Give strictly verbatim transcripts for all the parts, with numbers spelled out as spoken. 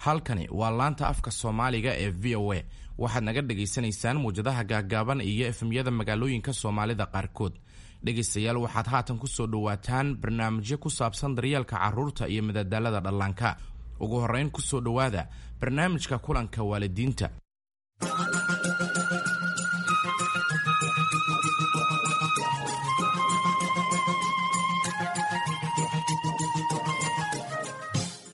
Halkani waa laanta afka Soomaaliga ee V O A. Waxaad naga dhagaysanaysaan muwjadaha gaaggaaban iyo F M-yada magaalooyinka Soomaalida qaarkood. Dhegaystayaal, waxaad haatan ku soo dhowaataan barnaamijyo ku saabsan daryeelka carruurta iyo madadaalada dhallaanka. Ugu horrayn, ku soo dhowaada barnaamijka kulanka waalidiinta.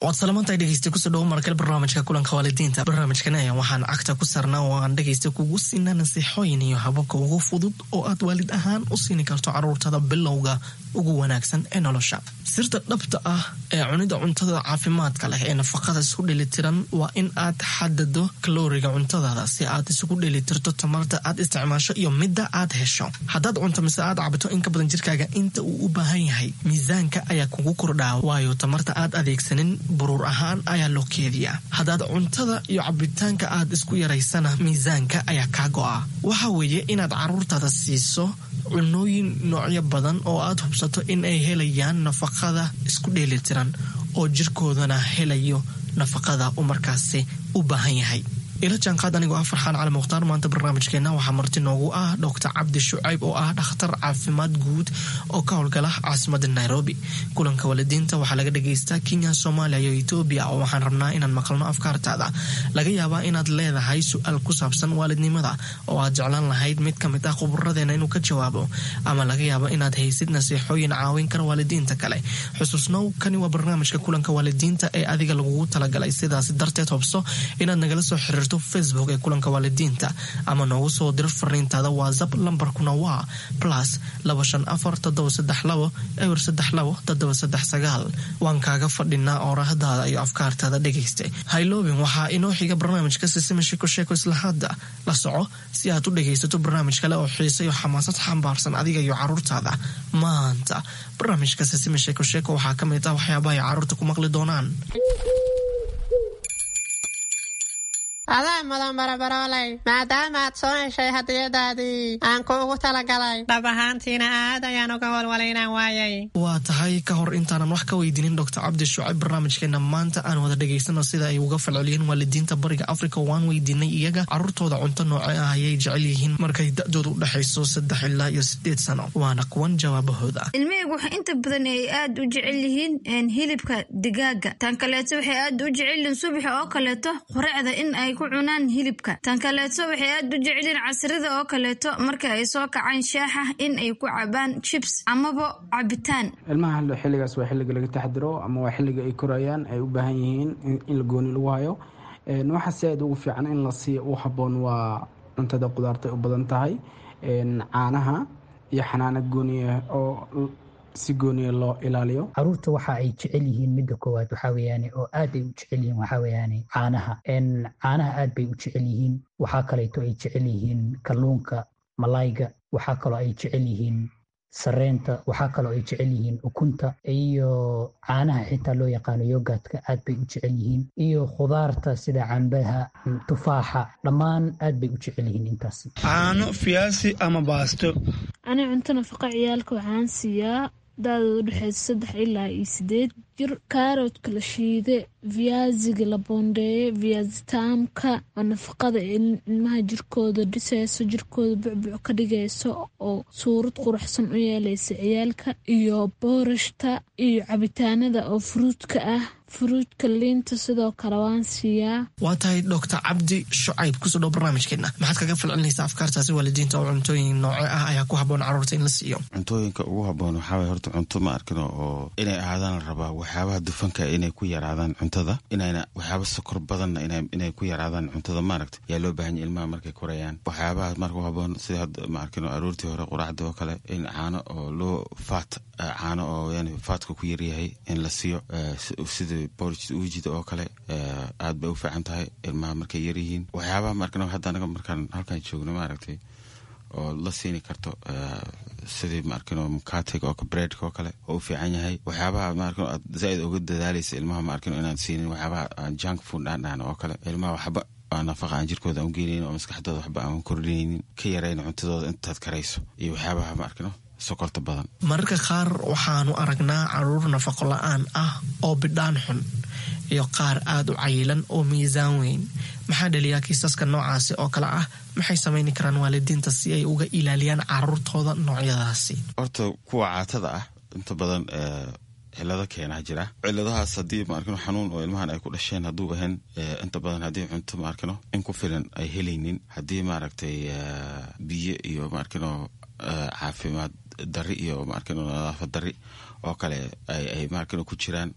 Waad salamantahay, dhegeysta. Kusoo dhawo markale barnaamijka kulanka waalidiinta. Barnaamijkan ayaa waxaan cagta ku saarnaa oo aan dhegeysta kugu siinaa nasiixooyin iyo hababka ugu fudud oo aad waalid ahaan u siini karto caruurtada bilowga ugu wanaagsan ee nolosha. Sirta dhabta ah ee cunida cuntada caafimaadka leh ee nafaqada isku dheelitiran waa in aad xadado kalooriga cuntadaada si aad isugu dheelitirto tamarta aad isticmaasho iyo midda aad hesho. Haddaad cunto mise aad cabto in ka badan jirkaaga inta uu u baahan yahay, miisaanka ayaa kugu kordhaa, waayo tamarta aad adeegsanin buruur ahaan ayaa loo keediyaa. Haddaad cuntada iyo cabitaanka aad isku yaraysana, miisaanka ayaa kaa go'a. Waxa weeye inaad caruurtaada siiso cunooyin noocyo badan oo aad hubsato in ay helayaan nafaqada isku dheelitiran oo jirkoodana helayo nafaqada uu markaasi u baahan yahay. Ila jaanqaad anigoo ah Farxaan Cali Mukhtaar. Maanta barnaamijkeena waxaa marti noogu ah Doctor Cabdi Shucayb oo ah dhakhtar caafimaad guud oo ka howlgala caasimada Nairobi. Kulanka waalidiinta waxaa laga dhagaystaa Kenya, Soomaaliya iyo Etoobiya, oo waxaan rabnaa inaan maqalno afkaartaada. Laga yaabaa inaad leedahay su-aal ku saabsan waalidnimada oo aad jeclaan lahayd mid ka mid ah khuburadeena inuu ka jawaabo, ama laga yaabo inaad haysid nasiixooyin caawin kara waalidiinta kale. Xusuusnow, kani waa barnaamijka kulanka waalidiinta ee adiga lagugu talagalay. Sidaas darteed, hubso inaad nagala soo xiriirto Facebook ee kulanka waalidiinta ama noogu soo diro fariintaada WhatsApp. Lambarkuna waa plus laba shan afar toddoba saddex labo eber saddex labo toddoba saddex sagaal. Waan kaaga fadhinaa oorahdaada iyo afkaartaada, dhegaysta. Hayloobin, waxaa inoo xiga barnaamijka Sisima Sheeko Sheeko. Isla hadda la soco si aad u dhegaysato barnaamij kale oo xiise iyo xamaasad xambaarsan adiga iyo caruurtaada. Maanta barnaamijka Sisima Sheeko Sheeko waxaa ka mid ah waxyaabaha ay caruurta ku maqli doonaan. Adaa mudan, barabarooley, maadaama aad soo heshay hadiyadaadii aan kuugu talagalay. Dhab ahaantiina aad ayaan uga walwalay inaan waayay. Waa tahay. Ka hor intaanan wax ka weydiinin Doctor Cabdi Shucayb barnaamijkeena maanta, aan wada dhegaysano sida ay uga falceliyeen waalidiinta Bariga Africa. Waan weydiinay iyaga caruurtooda cunto nooce ah ayay jecel yihiin markay da-dooda u dhexayso saddex ilaa iyo sideed sano. Waana kuwan jawaabahooda. Ilmahaygu waxa inta badan ay aad u jecel yihiin hilibka digaaga. Tan kaleeto, waxay aad u jecel yihiin subaxa oo kaleeto quraacda in ay ku cunaan hilibka. Tan kaleeto, waxay aad u jecelyihiin casrida oo kaleeto marka ay soo kacaan shaaxa in ay ku cabaan chips amaba cabitaan. Ilmaha xilligaas waa xilliga laga taxdiro ama waa xilliga ay korayaan, ay u baahan yihiin in la gooni lagu hayo. Waxa si aad ugu fiican in la siiyo u habboon waa cuntada qudaarta ay u badan tahay, caanaha iyo xanaano gooniya oo si gooniya loo ilaaliyo. Caruurta waxa ay jecel yihiin, midda koowaad waxaa weeyaane oo aad ay u jecel yihiin, waxaa weeyaane caanaha. Caanaha aad bay u jecel yihiin. Waxaa kaleeto ay jecel yihiin kalluunka, malayga. Waxaa kaloo ay jecel yihiin sareenta. Waxaa kaloo ay jecel yihiin ukunta iyo caanaha xitaa loo yaqaano yogurtka, aad bay u jecel yihiin, iyo khudaarta sida cambaha, tufaaxa, dhammaan aad bay u jecel yihiin intaasi. Caano, fiyaasi ama baasto. Ani cunto nafaqa ciyaalka waxaan siiyaa da-dooda udhexeysa saddex ilaa iyo sideed jir kaaroodka la shiide, viyaasiga la boondeeye, viyaasitaamka oo nafaqada ilmaha jirkooda dhiseyso, jirkooda bucbuc ka dhigayso oo suurad quruxsan u yeeleysa ciyaalka, iyo boorashta iyo cabitaanada oo fruitka ah, fruitka, liinta sidoo kale waan siiyaa. Waa tahay. Doctor Cabdi Shucayb, kusoo dhow barnaamijkeena. Maxaad kaga falcelinaysaa afkaartaasi waalidiinta oo cuntooyin nooce ah ayaa ku habboon caruurta in la siiyo? Cuntooyinka ugu habboon waxaa waye horta cunto ma arkino oo inay ahaadaan la rabaa waxyaabaha dufanka inay ku yaraadaan cuntada, inayna waxyaaba sokor badanna inay ku yaraadaan cuntada, maaragta, yaa loo baahan yahay ilmaha markay korayaan. Waxyaabaha marka u habboon sida hadda, ma arkino, aroortii hore quraacda oo kale in caano oo loo faat, caano oo yani fatka ku yaryahay in la siiyo, sida porridge uujida oo kale, aad bay u fiican tahay ilmaha markay yaryihiin. Waxyaabaha ma arkino hadda anaga markaan halkan joogno, maaragtay, oo la siini karto sidii, ma arkino, mukatiga oo breadka oo kale oo u fiican yahay. Waxyaabaha, ma arkino, aad zaaid uga dadaalaysa ilmaha, ma arkino, inaan siinin waxyaabaha aan junk food aan dhahno oo kale. Ilmaha waxba aan nafaqa aan jirkooda aan u geenaynin oo maskaxdooda waxba aan kordhinaynin, ka yarayn cuntadooda intaad karayso, iyo waxyaabaha, ma arkino, sokorta badan. Mararka qaar waxaanu aragnaa caruur nafaqo la-aan ah oo bidhaan xun. Iyo qaar aada u cayilan oo miisaan weyn. Maxaa dhaliyaa kiisaska noocaasi oo kale ah? Maxay samayni karaan waalidiinta si ay uga ilaaliyaan caruurtooda noocyadaasi? Horta kuwa caatada ah inta badan cilado keenaa jira. Ciladahaas haddii maarkino xanuun oo ilmahan ay ku dhasheen hadduu ahayn, inta badan haddii cunto maarkino in ku filan ay helaynin, haddii maaragtay biyo iyo maarkino caafimaad dari iyo maarkino nadaafad dari oo kale ay maarkino ku jiraan,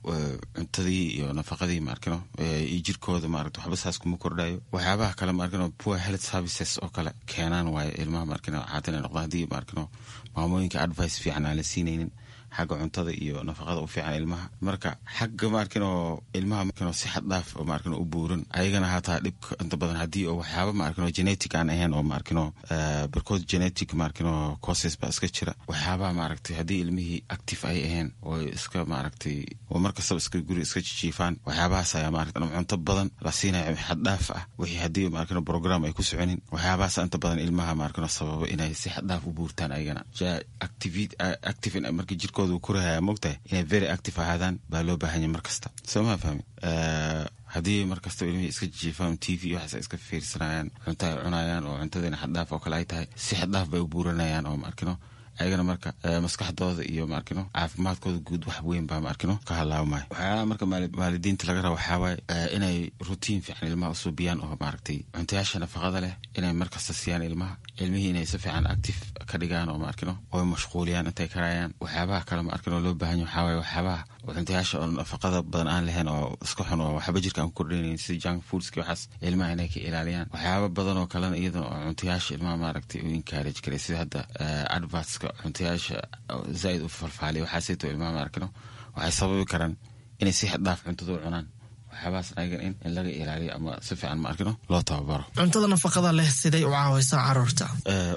cuntadii iyo nafaqadii maarkino iyo jirkooda maaragta waxba saas kuma kordhayo. Waxyaabaha kale maarkino poor health services oo kale keenaan waaye ilmaha maarkino caata inay noqdaan, haddii maarkino maamooyinka advice fiican aan la siinaynin xagga cuntada iyo nafaqada u fiican ilmaha. Marka xagga maarkino ilmaha maarkino si xad dhaaf oo maarkino u buuran ayagana hataa dhibka inta badan haddii oo waxyaaba maarkino genetic aan ahayn oo maarkino barkood genetic maarkino causes baa iska jira. Waxyaabaha maaragtay haddii ilmihii active ay ahayn oo iska maaragtay oo markastaba iska guri iska jijiifaan, waxyaabahaas ayaa maaragtay cunto badan la siinaya xad dhaaf ah, wixii haddii maarkino program ay ku soconin, waxyaabahaas inta badan ilmaha maarkino sababa inay si xad dhaaf u buurtaan ayagana. Active markii jirkooda korahaya mogtahay inay very active ahaadaan baa loo baahanya mar kasta, soo maa fahmi? Haddii mar kastaba ilmihii iska jiifaan, T V waxaas iska fiirsanayaan, cunto ay cunayaan oo cuntadiina xaddhaaf oo kale ay tahay, si xaddhaaf bay u buuranayaan oo maarkino ayagana marka maskaxdooda iyo maarkino caafimaadkooda guud wax weyn baa maarkino ka halaabmaya. Waxyaalaha marka waalidiinta laga raba waxaa waaye inay routine fiican ilmaha usuubiyaan oo maaragtay cuntayaasha nafaqada leh inay markasta siiyaan ilmaha, ilmihii inay si fiican active ka dhigaan oo maarkino oy mashquuliyaan intay karayaan. Waxyaabaha kale maarkino loo baahan yahay waxaa waaye waxyaabaha cuntayaasha oo nafaqada badan aan lahayn oo iska xun oo waxba jirka aan ku kordhinayn, sida junk foodski, waxaas ilmaha inay ka ilaaliyaan. Waxyaaba badan oo kalena iyadana oo cuntayaasha ilmaha maaragtay u encourage karay, sida hadda advertska cuntayaasha zaaid u falfaaliya, waxaasayto ilmaha maarkino waxay sababi karaan inay si xad dhaaf cuntada u cunaan. Waxyaabahaas ayagan in in laga ilaaliyo ama si fiican maarkino loo tababaro. Cuntada nafaqada leh siday u caawaysaa caruurta?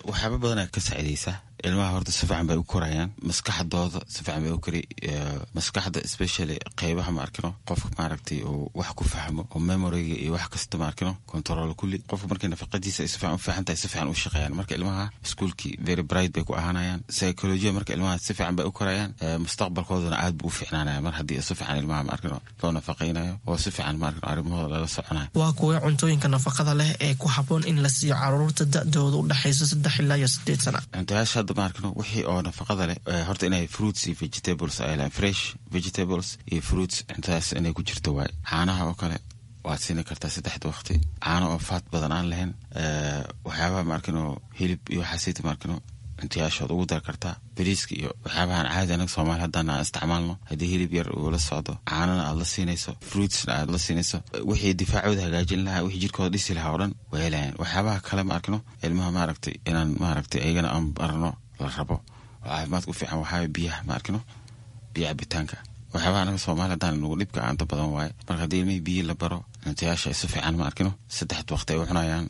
Waxyaaba badanaa ka saacidaysaa ilmaha. Horta si fiican bay u korayaan, maskaxdooda si fiican bay u kori, maskaxda especially qeybaha maarkino qofka maaragtay uu wax ku fahmo oo memoryga iyo wax kasta maarkino control kulli. Qofka markay nafaqadiisa ay si fiican u fiican tahay, si fiican u shaqeeyaan. Marka ilmaha iskuulkii very bright bay ku ahaanayaan, psychology marka ilmaha si fiican bay u korayaan, mustaqbalkoodana aad buu u fiicnaanaya mar haddii si fiican ilmaha maarkino loo nafaqaynayo oo si fiican maarkino arrimahooda lala soconayo. Waa kuwee cuntooyinka nafaqada leh ee ku habboon in la siiyo caruurta da-dooda u dhexayso saddex ilaa iyo sideed sana? Cuntayaasha hadda maarkino wixii oo nafaqada leh horta inay fruits iyo vegetables ay lahayn, fresh vegetables iyo fruits, cuntadaas inay ku jirto waaye. Caanaha oo kale waad siini kartaa saddexda waqti, caano oo faat badan aan lahayn. Waxyaabaha maarkino hilib iyo waxaasayta maarkino cuntayaashood ugu dar kartaa, bariiska iyo waxyaabahan caadi anaga Soomaali haddana aan isticmaalno. Haddii hilib yar uu la socdo, caanana aad la siinayso, fruitsna aad la siinayso, wixii difaacooda hagaajin lahaa, wixii jirkooda dhisi lahaa oo dhan way helayaan. Waxyaabaha kale ma arkino ilmaha maaragtay inaan maaragtay ayagana aan barno la rabo oo caafimaadka u fiican waxaa biyaha ma arkino, biyo cabitaanka. Waxyaabaha anaga Soomaali haddaan nagu dhibka aanta badan waaye. Marka haddii ilmihii biyo la baro, cuntayaasha ay si fiican ma arkino saddexd waqti ay u cunayaan,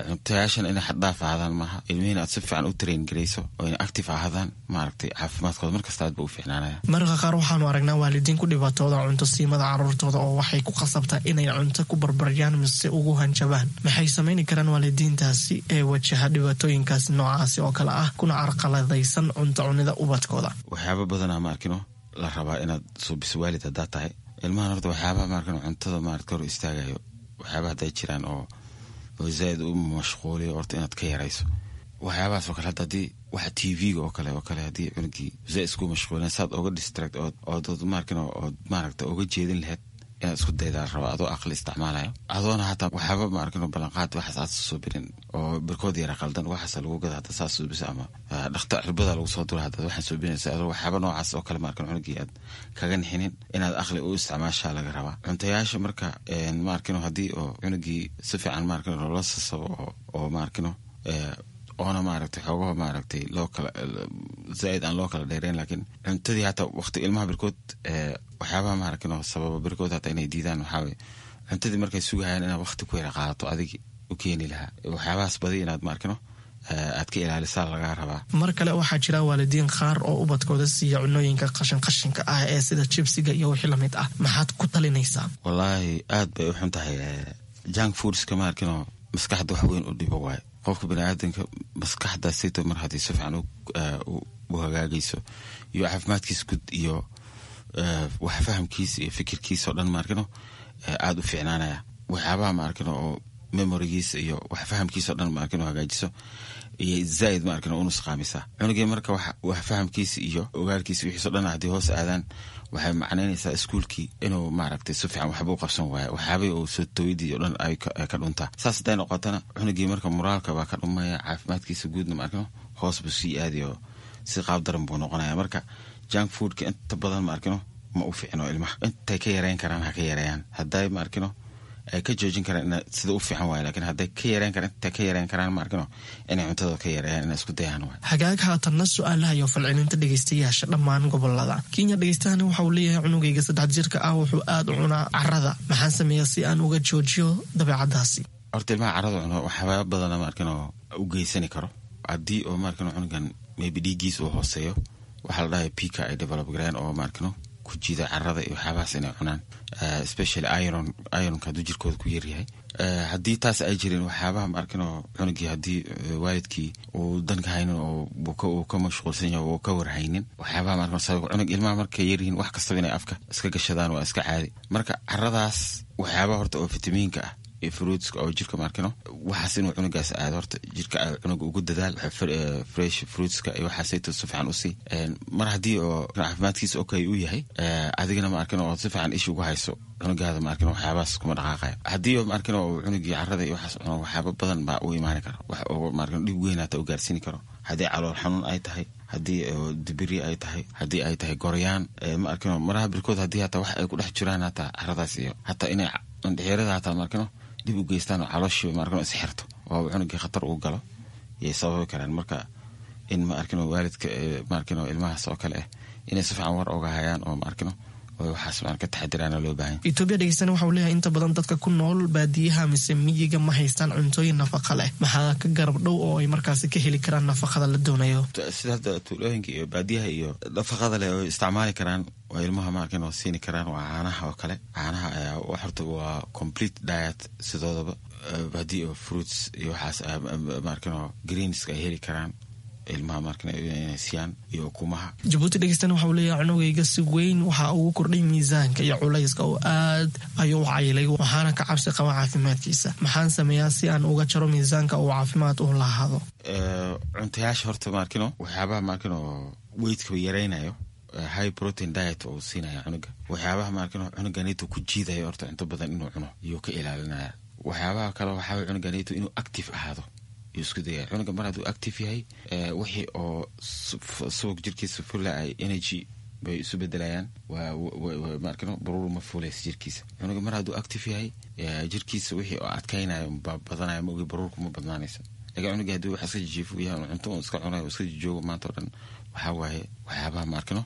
cuntayaashan inay xaddhaaf ahaadaan maaha, ilmihiina aad si fiican u train garayso oo inay active ahaadaan, maaragtay caafimaadkooda markasta aad ba u fiicnaanaya. Mararka qaar waxaanu aragnaa waalidiin ku dhibaatooda cunto siimada caruurtooda oo waxay ku khasabtaa inay cunto ku barbaryaan mise ugu hanjabaan. Maxay samayni karaan waalidiintaasi ee wajaha dhibaatooyinkaasi noocaasi oo kale ah kuna carqaladaysan cunto cunida ubadkooda? Waxyaaba badanaa ma arkino la rabaa inaad suubiso waalid haddaa tahay ilmahan. Horta waxyaabaha maarkino cuntada maarata hor istaagayo, waxyaabaha hadday jiraan oo oo zaaid u mashquuliyo, horta inaad ka yarayso waxyaabahaas oo kale. Hadda haddii waxa T V-ga oo kale oo kale haddii cunugii zaaid isku mashquulin, saad oga distract ood ood maarkino ood maaragta oga jeedin lahayd inaad isku daydaa la rabaa, adoo aqli isticmaalayo, adoona hataa waxyaaba maarkino ballanqaad waxaas aad suubinin oo barkood yara qaldan waxaas lagu gada hadda saas suubisa ama dhakta cirbada lagu soo dura haddaad waxaan suubinaysa, adoo waxyaaba noocaas oo kale maarkino cunugii aad kaga nixinin, inaad aqli u isticmaashaa laga rabaa cuntayaasha. Marka maarkino haddii oo cunugii si fiican maarkino loola sasabo oo oo maarkino oona maaragtay xoogaha maaragtay loo kala zaaid aan loo kala dheereyn, laakiin cuntadii hataa waqti ilmaha barkood waxyaabaha maaragtay sababa barkood hataa inay diidaan waxaa waye cuntadii markay sugahayaan inaad waqti ku yara qaadato adigi u keeni lahaa, waxyaabahaas badi inaad maarkino aad ka ilaalisaa lagaa rabaa. Mar kale waxaa jira waalidiin qaar oo ubadkooda siiya cunooyinka qashin qashinka ah ee sida jibsiga iyo wixii lamid ah. Maxaad ku talinaysaa? Wallaahi aad bay u xun tahay junk foodska, maarkino maskaxda wax weyn u dhibo waaye. Qofka baniaadanka maskaxda sito mar haddii si fiican u hagaagayso iyo caafimaadkiisa guud iyo wax fahamkiisa iyo fikirkiisa oo dhan maarkino aada u fiicnaanaya. Waxyaabaha ma arkin oo memorigiisa iyo wax fahamkiisa o dhan ma arkin oo hagaajiso iyo zaaid ma arkin oo unusqaamisa cunugii. Marka wax fahamkiisa iyo ogaalkiisa wixiiso dhan haddii hoos aadaan, waxay macnaynaysaa iskuulkii inuu maaragtay si fiican waxba u qabsan waayo, waxyaabay oo soo tooyadii o dhan ay ka dhuntaa. Saas hadday noqotana, cunugii marka moraalka baa ka dhumaya, caafimaadkiisa guudna ma arkino hoos buu sii aadayo, si qaab daran buu noqonaya. Marka junk foodka inta badan ma arkino ma u fiicno ilmaha. Intay ka yareyn karaan ha ka yareeyaan, hadday ma arkino ay ka joojin karaan sida u fiican waay, lakin hadday ka yareyn karaan, intay ka yareyn karaan ma arkino inay cuntada ka yareeyaan, inay isku dayaan waay. Hagaag, haatanna su-aalaha iyo falcelinta dhegeystayaasha dhammaan gobolada Kenya. Dhegeystahani waxa uu leeyahay: cunugayga saddex jirka ah wuxuu aada u cunaa carada, maxaan sameeyaa si aan uga joojiyo dabeecadaasi? Horta ilmaha carada cuno waxyaaba badana ma arkino u geysani karo. Haddii oo ma arkino cunugan maybe dhiiggiisa uu hooseeyo, waxaa la dhahay pica ay develop gareen oo ma arkino ku jiida carada iyo waxyaabahaas inay cunaan, especially iron, ironka hadduu jirkooda ku yaryahay. Haddii taas ay jirin, waxyaabaha ma arkino cunugii haddii waalidkii uu danka haynin oo uu ka mashquulsan yahay oo ka warhaynin, waxyaabaha ma arkino sabab cunug ilmaha markay yaryihiin wax kastaba inay afka iska gashadaan waa iska caadi. Marka caradaas waxyaabaha horta oo fitamiinka ah iyo fruitska oo jirka ma arkino waxaas inuu cunugaas aado, horta jirka cunuga ugu dadaal fresh fruitska iyo waxaasayto si fiican usii. Mar haddii oo caafimaadkiisa okay uu yahay, adigana ma arkino oo si fiican isha ugu hayso cunugaada, ma arkino waxyaabahaas kuma dhaqaaqaya. Haddii oo ma arkino oo cunugii carada iyo waxaas cuno, waxyaaba badan baa u imaani kara, wax oo ma arkino dhib weyn hata u gaarsiini karo. Haddii calool xanuun ay tahay, haddii dibiri ay tahay, haddii ay tahay goryaan, ma arkino maraha birkood haddii hataa wax ay ku dhex jiraan hataa caradaas iyo hataa inay indhexeerada hataa ma arkino dib u geystaan oo calooshiiba ma arkino isxirto oo cunugii khatar ugu galo yay sababi karaan. Marka in ma arkino waalidka ma arkino ilmahaas oo kale ah inay si fiican war oga hayaan oo ma arkino oo waxaas ma ka taxadiraana loo baahan. Etoobiya dhegeystana waxa uu leeyahay: inta badan dadka ku nool baadiyaha mise miyiga ma haystaan cuntooyin nafaqa leh, maxaa ka garab dhow oo ay markaasi ka heli karaan nafaqada la doonayo? Sida hadda tuulooyinka iyo baadiyaha iyo nafaqada leh oo isticmaali karaan waa ilmaha ma arkin oo siini karaan waa caanaha oo kale. Caanaha ayaa horta waa complete diet sidoodaba. Haddii oo fruits iyo waxaas ma arkin oo greenska ay heli karaan ilmaha ma arkin inay siiyaan iyo ukumaha. Jabuuti dhegeystana waxa uu leeyahay: cunugayga si weyn waxa ugu kordhay miisaanka iyo culayska oo aad ayuu u cayilay, waxaana ka cabsi qaba caafimaadkiisa. Maxaan sameeyaa si aan uga jaro miisaanka uu caafimaad u lahaado? Cuntayaasha horta ma arkino waxyaabaha ma arkino weightka yaraynayo, high protein diet oo siinaya cunuga. Waxyaabaha ma arkino cunuganito ku jiidayo horta cunto badan inuu cuno iyuu ka ilaalinaya. Waxyaabaha kale waxaa cunuganito inuu active ahaado yuu isku dayaya. Cunuga mar hadduu active yahay, wixii oo subag jirkiisa fula ay energy bay isu bedelayaan, ma arkino baruur ma fuulaysa jirkiisa. Cunuga mar hadduu active yahay, jirkiisa wixii oo adkaynayo baa badanaya, ma ogi baruurku ma badnaanaysa. Lakin cunuga haddii wax iska jijiifo yahay, cunto un iska cunayo, iska jijoogo maanta o dhan, waxaa waaye waxyaabaha ma arkino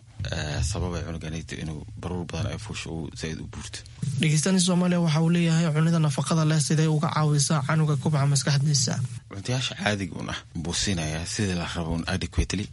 sababay cunuganito inuu baruur badan ay fuusho uu zaaid u buurto. Dhegeystani Soomaaliya waxa uu leeyahay: cunida nafaqada leh siday uga caawisaa canuga kubca maskaxdiisa? Cuntayaasha caadiga un ah buu siinayaa sidii la rabo un adequately,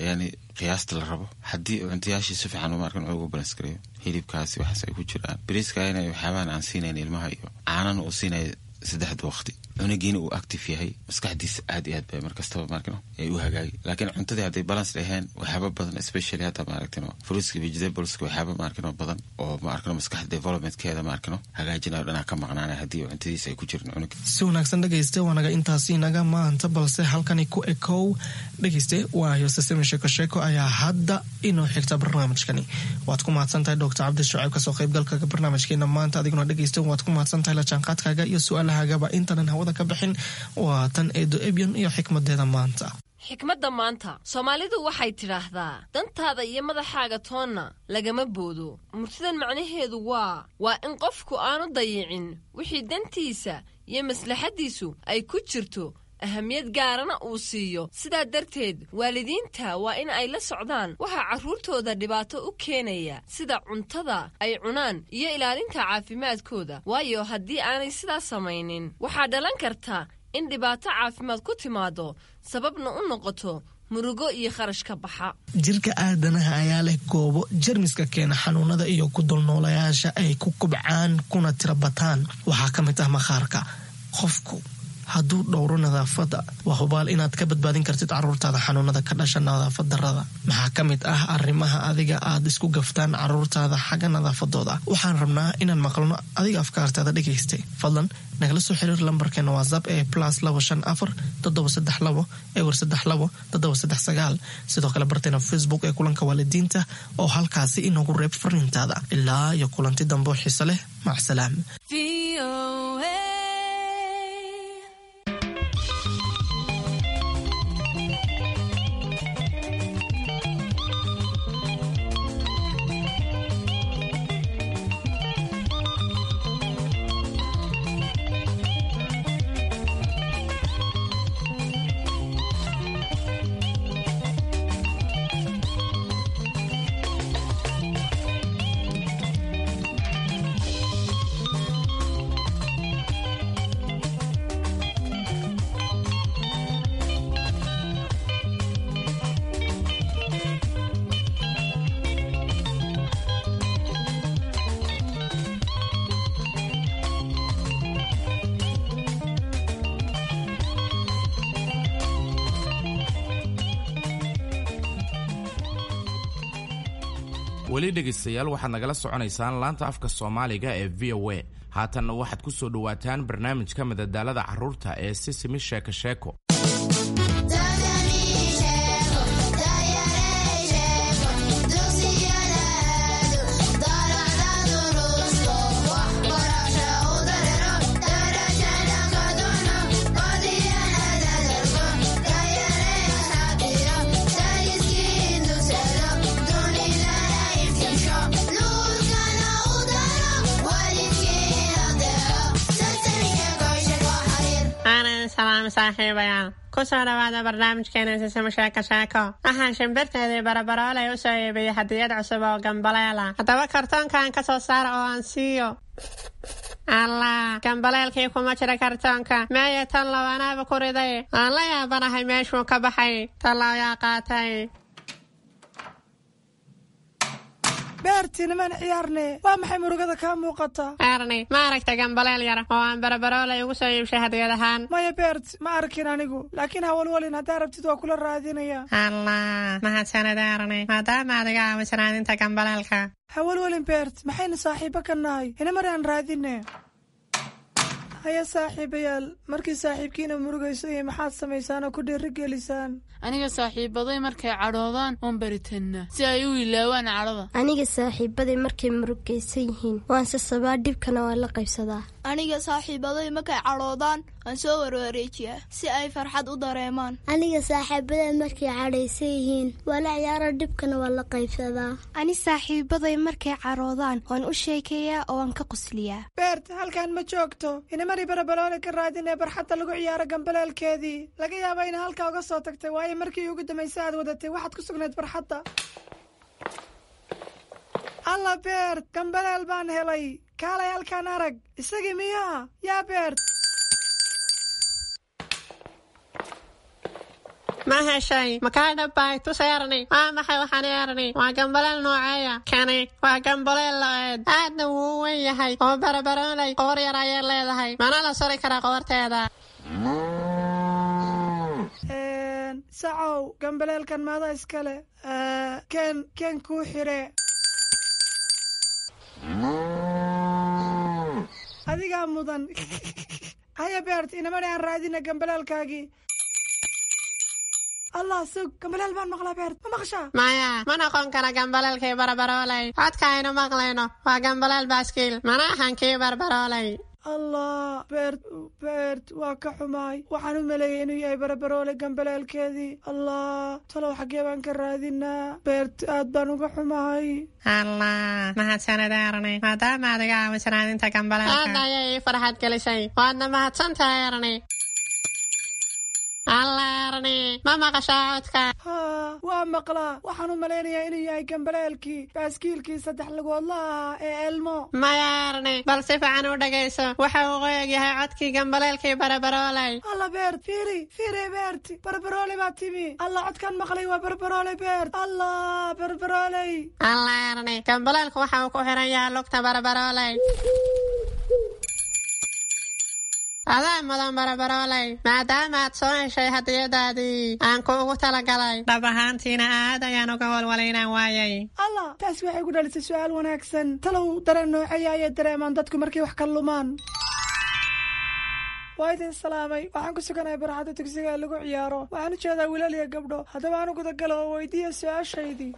yani qiyaasta la rabo. Haddii cuntayaashii si fiican ma arkin cunuga balance gareeyo, hilibkaasi waxaas ay ku jiraan, bariiska inay waxyaabahan aan siinayn ilmaha iyo caanana uu siinaya saddexda waqti, cunugiina uu active yahay, maskaxdiisa aad iyo aad bay markastaba maarkino ay u hagaagi. Laakiin cuntadii hadday balance dhaheen, waxyaaba badan, especially hadda maaragtino fruitska, vegetables-ka, waxyaaba maarkino badan oo maarkino maskaxda developmentkeeda maarkino hagaajinayo dhanaa ka maqnaanay haddii cuntadiisa ay ku jirin cunuga. Si wanaagsan dhegeyste, waa naga intaasi naga maanta, balse halkani ku ekow dhegeyste, waayo sisimi sheeko sheeko ayaa hadda inoo xigta barnaamijkani. Waad ku mahadsan tahay Doctor Cabdi Shucayb kasoo qaybgalka barnaamijkeena maanta. Adiguna dhegeyste waad ku mahadsan tahay la jaanqaadkaaga iyo su-aalahagaba. Intanan hawada ka bixin, waa tan Eedo Ebyan iyo xikmadeeda maanta. Xikmadda maanta, Soomaalidu waxay tidhaahdaa: dantaada iyo madaxaaga toonna lagama boodo. Murtidan macnaheedu waa waa in qofku aanu dayicin wixii dantiisa iyo maslaxaddiisu ay ku jirto, ahamiyad gaarana uu siiyo. Sidaa darteed waalidiinta waa in ay la socdaan waxaa carruurtooda dhibaato u keenaya, sida cuntada ay cunaan iyo ilaalinta caafimaadkooda, waayo haddii aanay sidaas samaynin waxaa dhalan karta in dhibaato caafimaad ku timaado, sababna u noqoto murugo iyo kharash ka baxa. Jirka aadanaha ayaa leh goobo jermiska keena xanuunada iyo ku dulnoolayaasha ay ku kubcaan kuna tirabataan. Waxaa ka mid ah maqaarka. Qofku hadduu dhowro nadaafadda, waa hubaal inaad ka badbaadin kartid caruurtaada xanuunada ka dhasha nadaafad darrada. Maxaa ka mid ah arrimaha adiga aad isku gaftaan caruurtaada xagga nadaafadooda? Waxaan rabnaa inaan maqalno adiga afkaartaada dhegaystay. Fadlan nagala soo xiriir lambarkeena WhatsApp ee plus labo shan afar toddoba saddex labo ewer saddex labo toddoba saddex sagaal. Sidoo kale barteena Facebook ee Kulanka Waalidiinta oo halkaasi inoogu reeb fariintaada. Ilaa iyo kulanti dambe oo xiiso leh, macsalaam. Weli dhegaystayaal, waxaad nagala soconaysaan laanta afka Soomaaliga ee V O A. Haatanna waxaad ku soo dhowaataan barnaamijka madadaalada carruurta ee Sisimi Sheeko Sheeko. Aanan salaam saaxiibayaal, kusoo dhawaada barnaamijkeena Sisimo Sheeko Sheeko. Waxaan shimbirteedii Barabarooley u soo iibiyey hadiyad cusub oo gambaleela. Haddaba kartoonkan ka soo saara oo aan siiyo. Allah, gambaleelkii kuma jira kartoonka. Meeye tallow, anaaba ku riday. Aan la yaabanahay meeshuu ka baxay. Tallow yaa qaatay? Beerti, nimaan ciyaarne. Waa maxay murugada kaa muuqata? Erni, ma aragta gambaleel yar oo aan Barabarooley ugu soo iibshay hadiyad ahaan? Maya Beert, ma arkin anigu, laakiin hawalwalin, haddaa rabtid waa kula raadinaya. Allah, mahadsanid Erni, maadaama aad iga caawiso raadinta gambaleelka. Hawalwalin Beert, maxaynu saaxiibo ka nahay? Inamar aan raadine. Haya saaxiibayaal, markii saaxiibkiina murugayso iyo maxaad samaysaan oo ku dhiirigelisaan? Aniga saaxiibaday markay cadhoodaan oon baritannaa si ay u ilaawaan cadhada. Aniga saaxiibaday markay murugaysan yihiin waan sasabaa, dhibkana waan la qaybsadaa. Aniga saaxiibaday markay cadhoodaan waan soo warwareejiyaa si ay farxad u dareemaan. Aniga saaxiibaday markay cadhaysan yihiin waa la ciyaara, dhibkana waan la qaybsadaa. Ani saaxiibaday markay cadhoodaan waan u sheekeeyaa oo waan ka qosliyaa. Beert, halkan ma joogto. Inamari Barabaloole ka raadinee barxadda lagu ciyaaro gambaleelkeedii. Laga yaaba ina halkaa uga soo tagtay, waayo markii ugu dambaysa aad wadatay waxaad ku sugnayd barxadda. Alla Beert, gambaleel baan helay. Kaalay halkaan arag. Isagii miyaa yaa Beert? Ma heshay? Makaa dhabbay? Tus Erni. Waa maxay waxaan Erni? Waa gambaleel nooceeya kani? Waa gambaleel lo-eed, aadna wuu u weyn yahay oo Barabarooley qoor yar ayay leedahay, mana la suri karaa qoorteeda. Sacow, gambaleelkan maada iskale? Ken ken kuu xire. Adigaa mudan. Haya Beert, inamani aan raadina gambaleelkaagii. Allah, sug, gambaleel baan maqlaa. Beert, ma maqashaa? Maya, ma noqon kara gambaleelkii Barabarooley. Codka aynu maqlayno waa gambaleel baaskiil, mana ahan kii Barbarooley. Allah Beert, Beert, waa ka xumaay. Waxaan u maleeyay inuu yahay Barabaroole gambaleelkeedii. Allah, talow xaggee baan ka raadinaa? Beert, aad baan uga xumahay. Allah, mahadsanid Erni, maadaama aad iga caawiso raadinta gambaleelka. Aad ayay ii farxad gelisay, waadna mahadsan tahay Erni. Allah Erni, ma maqashaa codka? Haa, waa maqlaa. Waxaan u malaynayaa inuu yahay gambaleelkii baaskiilkii saddex lugoodla ahaa ee Elmo. Maya Erni, bal si fiican u dhegayso. Waxa uu u egyahay codkii gambaleelkii Barabarooley. Alla Beert, fiiri fiiri. Beert, Barbaroole baa timi. Allah, codkaan maqlay waa Barbaroole. Beert, Allah, Barbarooley. Allah Erni, gambaleelku waxa uu ku xiran yahay lugta Barabarooley. Adaa mudan barabarooley, maadaama aad soo heshay hadiyadaadii aan kuugu talagalay. Dhab ahaantiina aad ayaan uga walwalay inaan waayay. Allah, taasi waxay ku dhalisay su'aal wanaagsan. Talow dareen nooceeya ayay dareemaan dadku markay wax ka lumaan? Waa idin salaamay. Waxaan ku suganahay barxadda dugsiga ee lagu ciyaaro. Waxaan u jeedaa wiilal iyo gabdho. Haddaba aan u gudagalo oo weydiiya su-aashaydii.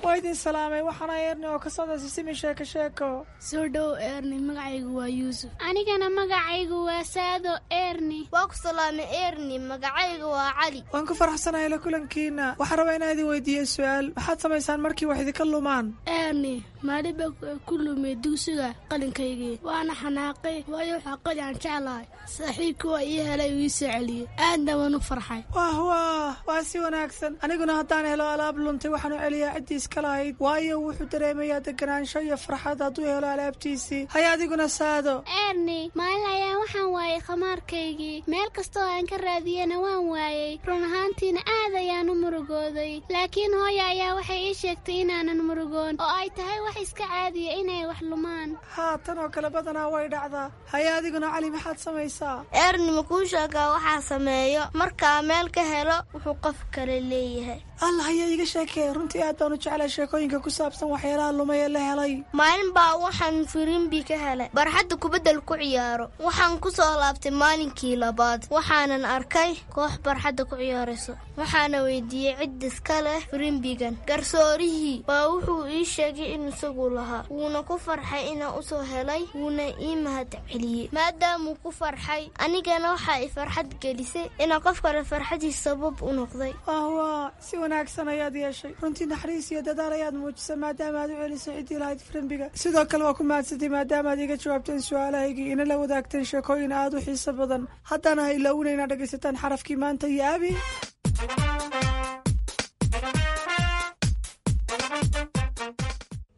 Waa idin salaamay. Waxaana Eerni oo ka socda Sisimi Sheeko Sheeko. Soo dhow Eerni, magacaygu waa Yuusuf. Anigana magacaygu waa Saado Eerni. Waa ku salaamay Eerni, magacaygu waa Cali. Waan ku faraxsanahay la kulankiina. Waxaan rabaa inaan idin weydiiyo su-aal. Maxaad samaysaan markii wax idinka lumaan? Eerni, maalin baa ku lumay dugsiga qalinkaygii, waana xanaaqay, waayo waxaa qali aan jeclahay. Saaxiibkii waa ii helay, uu ii soo celiyey, aadna waan u farxay. Wah wah, waa si wanaagsan. Aniguna haddaan helo alaab luntay, waxaan u celiyaa ciddii iska lahayd, waayo wuxuu dareemayaa deganaansho iyo farxad hadduu helo alaabtiisii. Haya adiguna Saado. Eerni, maalin ayaa waxaan waayay khamaarkaygii. Meel kastoo aan ka raadiyena waan waayey. Run ahaantiina aad ayaan u murugooday, laakiin hooya ayaa waxay ii sheegtay inaanan murugoon oo ay tahay wax iska caadiya inay wax lumaan. Haa, tan oo kale badanaa way dhacdaa. Haya adiguna Cali, maxaad samaysaa? Eerni, ma kuu sheegaa waxaa sameeyo markaa meel ka helo wuxuu qof kale leeyahay? Allah, haya iiga sheekee. Runtii aad baan u jeclaa sheekooyinka ku saabsan waxyaalaha lumay ee la helay. Maalin baa waxaan firimbi ka helay barxadda kubaddal ku ciyaaro. Waxaan ku soo laabtay maalinkii labaad, waxaanan arkay koox barxadda ku ciyaarayso. Waxaana weydiiyey cid iska leh firimbigan. Garsoorihii baa wuxuu ii sheegay in isagu lahaa, wuuna ku farxay inaan u soo helay, wuuna ii mahad celiyey. Maadaamuu ku farxay, anigana waxaa i farxad gelisay inaan qof kale farxadiis sabab u noqday. Wah, si wanaagsan ayaad yeeshay. Runtii naxariis iyo dadaal ayaad muujisay maadaama aad u celisay ciddii lahayd firimbiga. Sidoo kale waa ku mahadsantay maadaama aad iga jawaabteen su-aalahaygii, ina la wadaagteen sheekooyin aad u xiiso badan. Haddana ha ilaawina inaad dhegaysataan xarafkii maanta iyo Abi.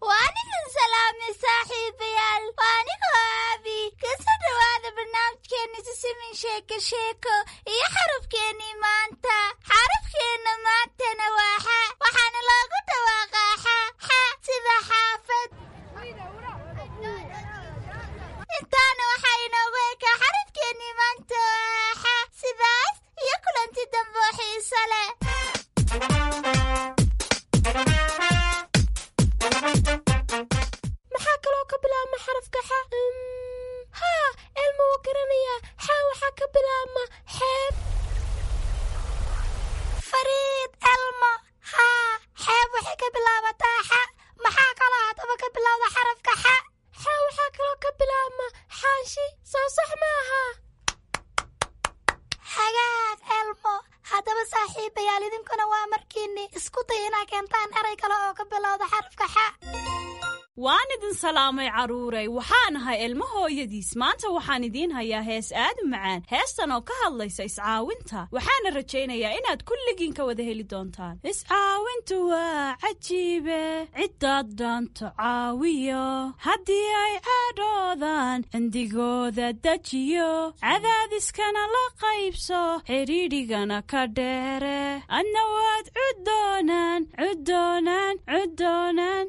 Waan idin salaamay saaxiibayaal. Waa anigoo Aabi. Kasoo dhawaada barnaamijkeena Sisimin Sheeko Sheeko iyo xarafkeenii maanta. Xarafkeenna maantana waa xa, waxaana loogu dhawaaqaa xa xa sida xaafad. Intaana waxaa inoogu ekaa xarafkeenii maanta oo ah xa. Sidaas iyo kulanti dambe oo xiiso leh. Maxaa kaloo ka bilaabma xarafka xa? Haa, Elmo wuu garanayaa. Xa waxaa ka bilaabma xeeb. Fariid, Elmo, haa, xeeb waxay ka bilaabataa xa. Maxaa kaloo haddaba ka bilowda xarafka xa? Xa waxaa kaloo ka bilaabma xaanshi. Soo sax maaha? Hagaag Elmo. Haddaba saaxiibayaal, idinkuna waa markiinni isku day inaa keentaan eray kale oo ka bilowda xarafka xa. Waan idin salaamay carruuray. Waxaan ahay Ilmo hooyadiis. Maanta waxaan idiin hayaa hees aad u macaan, heestan oo ka hadlaysa iscaawinta. Waxaana rajaynayaa inaad kulligiin ka wada heli doontaan. Iscaawintu waa cajiibe, ciddaad dhaanto caawiyo, haddii ay cadhoodaan cindigooda dejiyo, cadaadiskana la qaybso, xidhiidhigana ka dheere, adna waad cuddoonaan cuddoonaan cuddoonaan.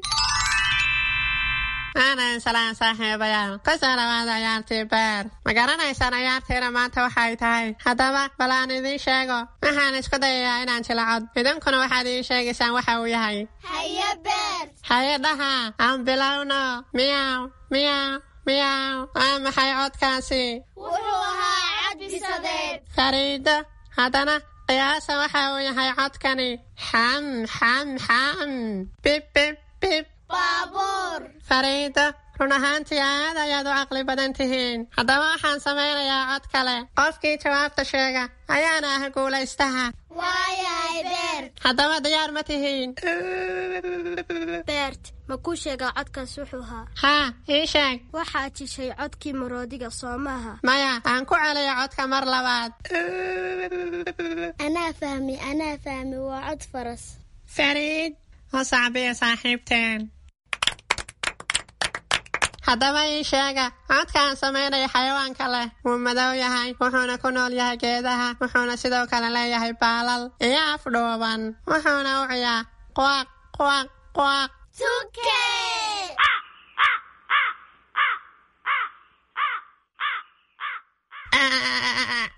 Aanan salaan saaxiibayaal. Kusoo dhawaada ciyaartii beer. Ma garanaysaan ciyaartiina maanta waxay tahay? Haddaba bal aan idiin sheego. Waxaan isku dayayaa inaan jilacod, idinkuna waxaad ii sheegaysaan waxa uu yahay. Haye Beer. Haye dhaha, aan bilowno. Miyaw miyaw miyaw. Waa maxay codkaasi? Wuxuu ahaa cad bisadeed. Fariido, haddana qiyaasa waxa uu yahay codkani. Xam xam xam, bib bib bib. Baabuur. Fariido, run ahaantii aad ayaad u caqli badan tihiin. Haddaba waxaan samaynayaa cod kale. Qofkii jawaabta sheega ayaana ah guulaystaha. Waayahay Beer. Haddaba diyaar ma tihiin? Beert, ma kuu sheegaa codkaas wuxuu ahaa? Haa, ii sheeg. Waxaad jishay codkii maroodiga, soo maaha? Maya, aan ku celiyo codka mar labaad. Anaa fahmi, anaa fahmi, waa cod faras. Fariid, u sacbiya saaxiibteen. Haddaba ii sheega codka aan samaynaya xayawaanka leh. Wuu madow yahay, wuxuuna ku nool yahay geedaha, wuxuuna sidoo kale leeyahay baalal iyo af dhuuban, wuxuuna u ciyaa quaq quaq quaq. Tuke.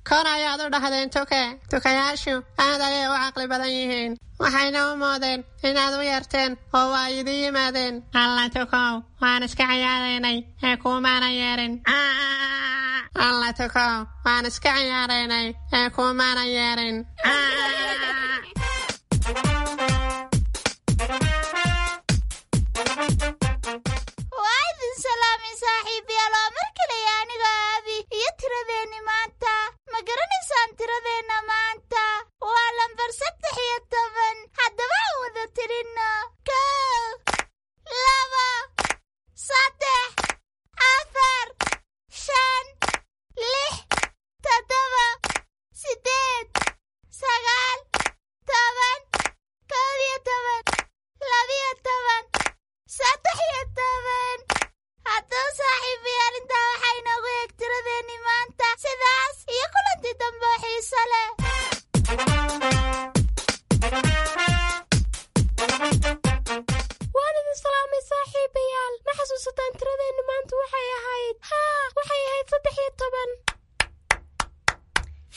Kor ayaad u dhahdeen tuke. Tukayaashu aad ayay u caqli badan yihiin, waxayna u moodeen inaad u yeerteen oo waa idin yimaadeen. Alla tukow, waan iska ciyaaraynay ee kuumaana yeerin. Alla tukow, waan iska ciyaaraynay ee kuumaana yeerin. Waa idin salaamay saaxiibayaal, waa mar kaleya aniga Aabi iyo tiradeenni maanta. Ma garanaysaan tiradeenna maanta? Waa lambar saddex iyo toban. Haddaba aan wada tirinno: kow, laba, saddex, afar, shan, lix, toddoba, siddeed, sagaal, toban, kow iyo toban, labiyo toban, saddex iyo toban. Haddaba saaxiibayaal, intaa waxaa inoogu eeg tiradeenni maanta. Sidaas iyo kulanti dambe oo xiiso leh. Waan idin salaamay saaxiibayaal. Ma xasuusataan tiradeenni maanta waxay ahayd? Haa, waxay ahayd saddex iyo toban.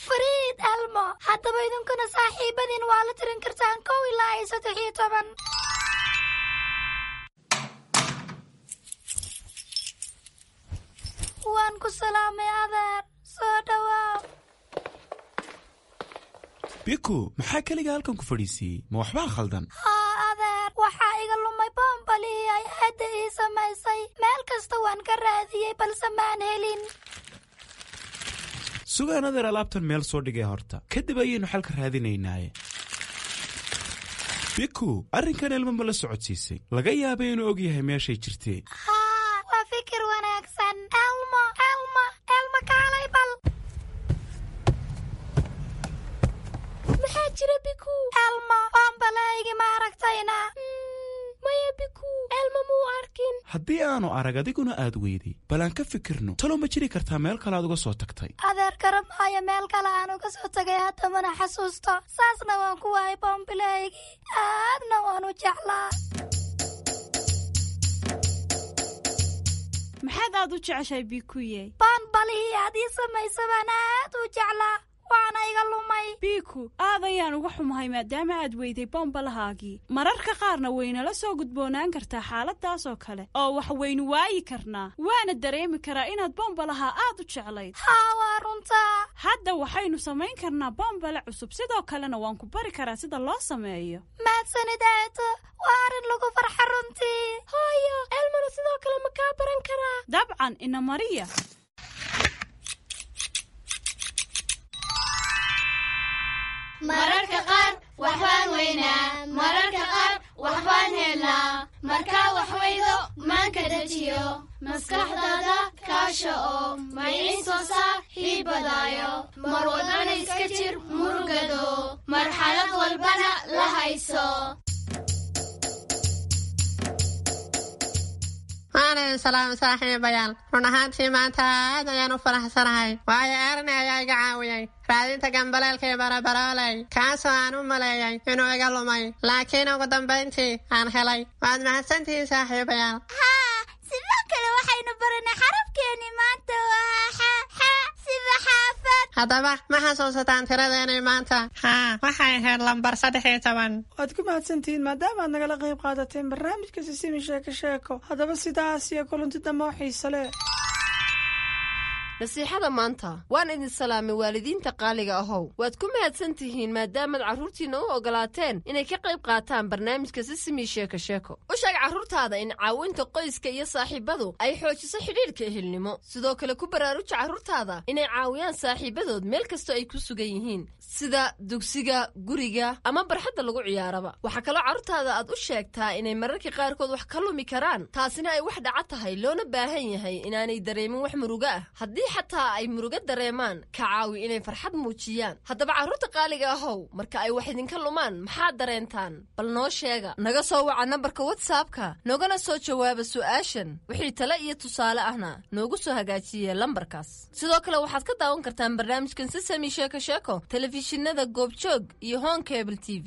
Fariid Elmo, haddaba idinkuna saaxiibadiin waa la tirin kartaan kow ilaa iyo saddex iyo toban. Waan ku salaamay adeer, soo dhawaaw. Biku, maxaa keliga halkan ku fadhiisiiyey? Ma waxbaa khaldan? Haa adeer, waxaa iga lumay boombalihii ay aadda ii samaysay. Meel kasta waan ka raadiyey balse maan helin. Sugaan adeer, alaabtan meel soo dhigay horta, kadib ayaynu xalka raadinaynaaye. Biku, arrinkan Elmo ma la socodsiisay? Laga yaabay inuu og yahay meeshay jirtee. Haa, waa fikir wanaagsan. Elmo, Elmo, Elmo, kaalay bal. Maxaa jira, Biku? Elmo, boombalahaygi ma aragtayna? Maya Biku, Elmo muu arkin. Haddii aanu arag adiguna aad weyday, bal aan ka fikirno. Talow ma jiri kartaa meel kale aad uga soo tagtay? Adeer, garab maayo meel kale aan uga soo tagay, haddamana xasuusto. Saasna waan ku waayay boombilahaygii, aadna waan u jeclaa. Maxaad aad u jeceshahay, Bikuye? Boonbalihii aad ii samaysa baan aad u jeclaa, waana iga lumay. Biku, aad ayaan uga xumahay maadaama aad weyday bombalahaagii. Mararka qaarna waynala soo gudboonaan kartaa xaaladaas oo kale oo wax waynu waayi karnaa, waana dareemi karaa inaad bombalaha aad u jeclayd. Haa, waa runtaa. Hadda waxaynu samayn karnaa bombale cusub, sidoo kalena waan ku bari karaa sida loo sameeyo. Mahadsanid aato, waa arrin lagu farxa runtii. Hooyo, Elmona sidoo kale ma kaa baran karaa? Dabcan, ina mariya. Mararka qaar waxbaan weynaa, mararka qaar waxbaan helnaa. Markaa wax weydo maanka dejiyo, maskaxdaada kaasha oo maciin soo saar hiibadaayo. Mar walbana iska jir murugado, marxalad walbana la hayso. Waan idin salaamay saaxiibayaal. Run ahaantii maanta aad ayaan u faraxsanahay, waayo Erni ayaa iga caawiyey raadinta gambaleelkii barabarooley, kaasoo aan u maleeyay inuu iga lumay, laakiin ugu dambayntii aan helay. Waad mahadsantihiin saaxiibayaal. Haa, sidoo kale waxaynu baranay xarafkeeni maanta waa xa, xa sida xaafad. Haddaba ma xasuusataan tiradeenii maanta? Haa, waxay ahayd lambar saddex iyo toban. Waad ku mahadsantihiin maadaama aad nagala qayb qaadateen barnaamijka Sisimi Sheeko Sheeko. Haddaba sidaas iyo kulanti dambe oo xiiso leh. Nasiixada maanta. Waan idin salaamay waalidiinta qaaliga ahow. Waad ku mahadsan tihiin maadaamaad carruurtiinna u ogolaateen inay ka qayb qaataan barnaamijka Sisimi Sheeko Sheeko. U sheeg carruurtaada in caawinta qoyska iyo saaxiibadu ay xoojiso xidhiidhka ehelnimo. Sidoo kale ku baraaruja carruurtaada inay caawiyaan saaxiibadood meel kastoo ay ku sugan yihiin, sida dugsiga, guriga ama barxadda lagu ciyaaraba. Waxaa kaloo carruurtaada aad u sheegtaa inay mararka qaarkood wax ka lumi karaan, taasina ay wax dhaca tahay, loona baahan yahay inaanay dareemin wax murugo ah. Haddii xataa ay murugo dareemaan, ka caawi inay farxad muujiyaan. Haddaba carruurta qaaliga ahow, marka ay wax idinka lumaan maxaad dareentaan? Bal noo sheega. Naga soo waca nambarka WhatsAppka, noogana soo jawaaba su'aashan. Wixii tale iyo tusaale ahna noogu soo hagaajiye lambarkaas. Sidoo kale waxaad ka daawan kartaan barnaamijkan Sisami Sheeko Sheeko telefishinada Goobjoog iyo Horn Cable T V.